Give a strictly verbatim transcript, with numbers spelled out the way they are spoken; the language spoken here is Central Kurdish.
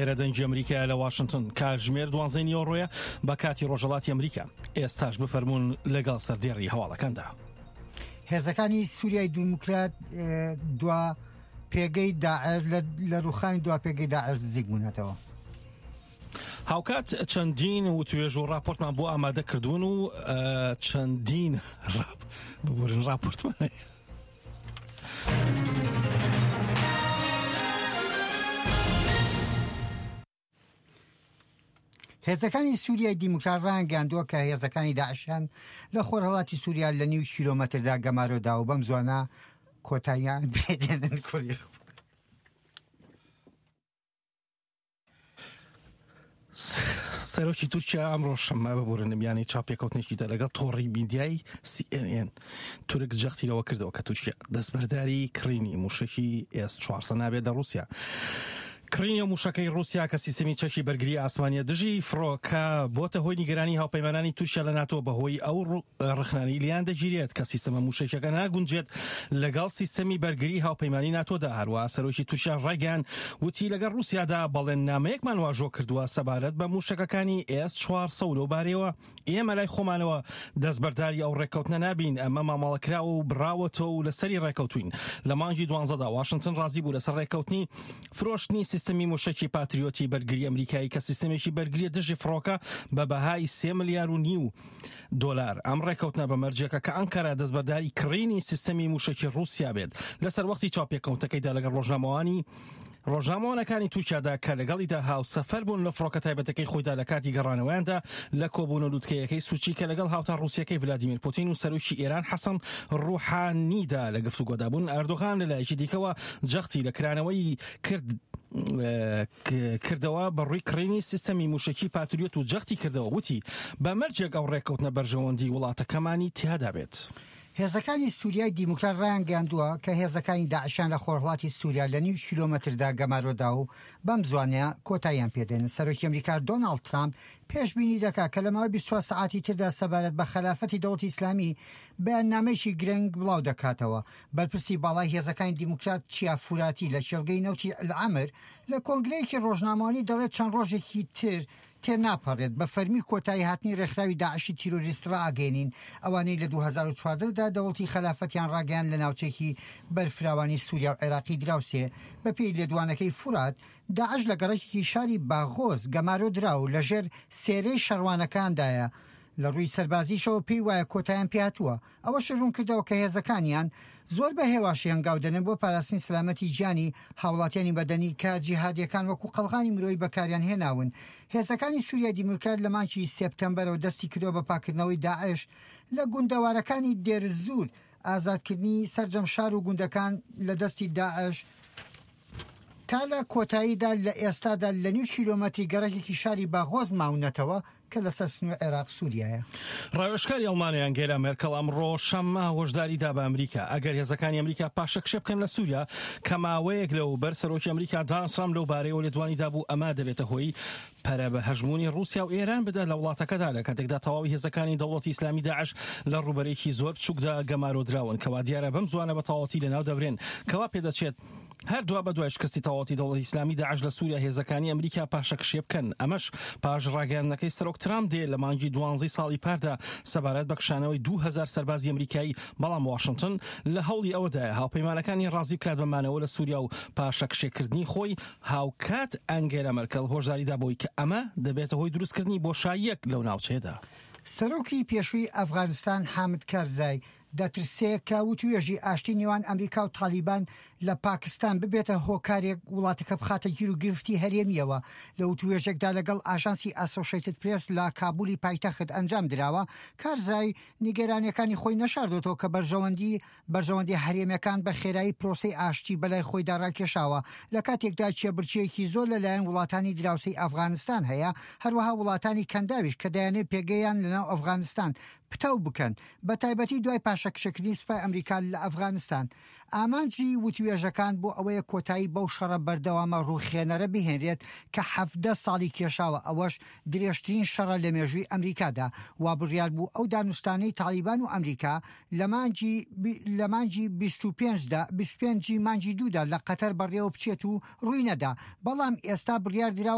ئێرە دەنگی ئەمریکایە لە واشنتن، کاتژمێر دوانزەی نیوەڕۆیە بە کاتی ڕۆژهەڵاتی ئەمریکا. ئێستاش بفەرموون لەگەڵ سەردێڕی هەواڵەکاندا. هێزەکانی سووریای دیموکرات دوا پێگەی داعش لە ڕوخانی دوا پێگەی داعش نزیک بوونەتەوە. هاوکات چەندین وتوێژ و راپۆرتمان بۆ ئامادە کردوون و چەندین ببورن راپۆرتمان هەیە. هێزەکانی سووریای دیموکرات ڕایانگەیاندووە کە هێزەکانی داعشیان لە خۆرهەڵاتی سووریا لە نیو کیلۆمەتردا گەمارۆدا و بەم زوانە کۆتاییان پێدێنن. کوڕی سەرۆکی تورکیا ئەمڕۆ شەممە ببورن میانی چاپێکەوتنێکیدا لەگەڵ تۆڕی میدیای سی ئێن ئێن تورک جەختی لەوە کردەوە کە تورکیا دەستبەرداری کڕینی موشەکی ئێس چوارسە نابێت لە رووسیا. کڕینی موشەکەی رووسیا کە سیستمی چەکی بەرگری ئاسمانیە دژی فڕۆکە بۆتە هۆی نیگەرانی هاوپەیمانانی تورکیا لە ناتۆ بەهۆی ئەو ڕخنانی لیان دەگیرێت کە سیستەمە موشەکەکە ناگونجێت لەگەڵ سیستەمی بەرگری هاوپەیمانی ناتۆدا. هەروە سەرۆکی تورکیا ڕایگەیاند وتی لەگەڵ رووسیادا بەڵێننامەیەکمان واژۆ کردووە سەبارەت بە موشەکەکانی ئێس چوارسە و لەوبارەیەوە ئێمە لای خۆمانەوە دەستبەرداری ئەو ڕێککەوتنە نابین، ئەمە مامەڵەکراوە و بڕاوەتەوە و لەسەری ڕێککەوتوین. لە مانگی دوانزەدا واشنگتن ڕازی بوو لەسەر ڕێککەوتنی فرۆشتنی سیستەمی موشەکی پاتریۆتی بەرگری ئەمریکایی کە سیستەمێکی بەرگری دژی فڕۆکە بە بەهای سێ ملیار و نیو دلار. ئەم ڕێککەوتنە بە مەرجێکە کە ئەنکەرە دەستبەرداری کڕینی سیستەمی موشەکی رووسیا بێت. لەسەر وەختی چاوپێکەوتەکەیدا لەگەڵ ڕۆژنامەوانی ڕۆژنامەوانەکانی تورکیادا کە لەگەڵیدا هاوسەفەر بوون لە فڕۆکە تایبەتەکەی خۆیدا لە کاتی گەڕانەوەیاندا لە کۆبوونە لوتکەیەکەی سوچی کە لەگەڵ هاوتا ڕووسیەکەی ڤلادیمیر پوتین و سەرۆکی ئێران حەسەن ڕوحانیدا لە گفتوگۆدا بوون. ئەردۆغان لەلایەکی دیکەوە جەختی لە کرانەوەی کرد کردەوە بەڕووی کڕینی سیستەمی موشەکی پاتریۆت و جەختی کردەوە وتی بە مەرجێک ئەو ڕێککەوتنە بەرژەوەندی وڵاتەکەمانی تیادا بێت. هێزەکانی سووریای دیموکرات ڕایانگەیاندووە کە هێزەکانی داعشیان لە خۆرهەڵاتی سووریا لە نیو کیلۆمەتردا گەمارۆدا و بەم زوانەیە کۆتاییان پێدێنن. سەرۆکی ئەمریکا دۆناڵد ترامپ پێشبینی دەکات کە لە ماوەی بیست و چوار سەعاتی تردا سەبارەت بە خەلافەتی دەوڵەتی ئیسلامی بەیاننامەیەکی گرنگ بڵاو دەکاتەوە. بەرپرسی باڵای هێزەکانی دیموکرات چیا فوراتی لە کێڵگەی نەوتی العەمر لە کۆنگرەیەکی ڕۆژنامەوانی دەڵێت چەند ڕۆژێکی تر تێناپەڕێت بە فەرمی کۆتایی هاتنی ڕێکخراوی داعشی تیرۆریست ڕاگەێنین، ئەوانەی لە دوو هەزار و چواردە دا دەوڵەتی خەلافەتیان ڕاگەیان لە ناوچێکی بەرفراوانی سووریا و عێراقی دراوسێ. بەپێی لێدوانەکەی فورات، داعش لە گەڕەکێکی شاری باغۆز گەمارۆ درا و لەژێر سێرەی شەڕوانەکاندایە. لە ڕووی سەربازیشەوە پێی وایە کۆتایان پێهاتووە. ئەوەش ڕوون کردەوە کە هێزەکانیان زۆر بە هێواشی هەنگاو دەنن بۆ پاراستنی سەلامەتی گیانی هاوڵاتیانی مەدەنی کە جیهادیەکان وەکو قەڵغانی مرۆیی بەکاریان هێناون. هێزەکانی سووریای دیموکرات لە مانگی سێپتەمبەرەوە دەستی کردووە بە پاکردنەوەی داعش لە گوندەوارەکانی دێرزور، ئازادکردنی سەرجەم شار و گوندەکان لە دەستی داعش تا لە کۆتاییدا لە ئێستادا لە نیو کیلۆمەتری گەڕەکێکی شاری باغۆز ماونەتەوە کە لەسەر سنوور عێراق سووریایە. ڕاوێژکاری ئەڵمانیا ئەنگێلا مێرکڵ ئەمڕۆ شەممە هۆشداری دا بە ئەمریکا ئەگەر هێزەکانی ئەمریکا پاشەکشێ بکەن لە سووریا کە ماوەیەک لەوبەر سەرۆکی ئەمریکا داناڵد ترامپ لەو بارەیەوە لێدوانی دابوو ئەمە دەبێتە هۆی پەرە بە هەژموونی ڕووسیا و ئێران بدات لە وڵاتەکەدا لە کاتێکدا تەواوی هێزەکانی دەوڵەتی ئیسلامی داعش لە ڕووبەرێکی زۆر بچووکدا گەمارۆدراون کەوا دیارە بەم زوانە بە تەواوەتی لەناو دەبرێن کەوا پێدەچێت هەر دوا بە دوای شکستی تەواوەتی دەوڵەتی ئیسلامی داعش لە سووریا هێزەکانی ئەمریکا پاشەکشێ بکەن. ئەمەش پاش ڕاگەیاندنەکەی سەرۆک ترامپ دێ لە مانگی دوانزەی ساڵی پاردا سەبارەت بە کشانەوەی دوو هەزار سەربازی ئەمریکایی، بەڵام واشنگتن لە هەوڵی ئەوەدایە هاوپەیمانەکانی ڕازی بکات بە مانەوە لە سووریا و پاشەکشێکردنی خۆی. هاوکات ئەنگێلا مەرکەل هۆشداری دا بۆی کە ئەمە دەبێتە هۆی دروستکردنی بۆشاییەک لەو ناوچەیەدا. سەرۆکی پێشووی ئەفغانستان حامد کارزای دەترسێ کە وتوێژی ئاشتی نێوان ئەمریکا و تالیبان لە پاکستان ببێتە هۆکارێک وڵاتەکە بخاتە گیر و گرفتی هەرێمیەوە. لە وتوێژێکدا لەگەڵ ئاژانسی ئاسۆشیتد پرێس لە کابولی پایتەخت ئەنجام دراوە، کارزای نیگەرانیەکانی خۆی نەشاردۆتەوە کە بەرژەوەندی بەرژەوەندی هەرێمیەکان بە خێرایی پرۆسەی ئاشتی بەلای خۆیدا ڕاکێشاوە، لە کاتێکدا کێبڕکێیەکی زۆر لەلایەن وڵاتانی دراوسێی ئەفغانستان هەیە، هەروەها وڵاتانی کەنداویش کە دەیانەوێت پێگەیان لەناو ئەفغانستان پتەو بکەن، بە تایبەتی دوای پاشەکشەکردنی سوپای ئەمریکا لە ئەفغانستان. ئامانجی وتوێژەکان بۆ ئەوەیە کۆتایی بەو شەڕە بەردەوامە ڕووخێنەرە بهێنرێت کە حەفدە ساڵی کێشاوە، ئەوەش درێژترین شەڕە لە مێژووی ئەمریکادا. وا بڕیار بوو ئەو دانوستانەی تالیبان و ئەمریکا لە مانگی بیست و پێنج دا بیست و پێنج مانگی دوودا لە قەتەر بەڕێوە بچێت و ڕووی نەدا، بەڵام ئێستا بڕیار دراوە.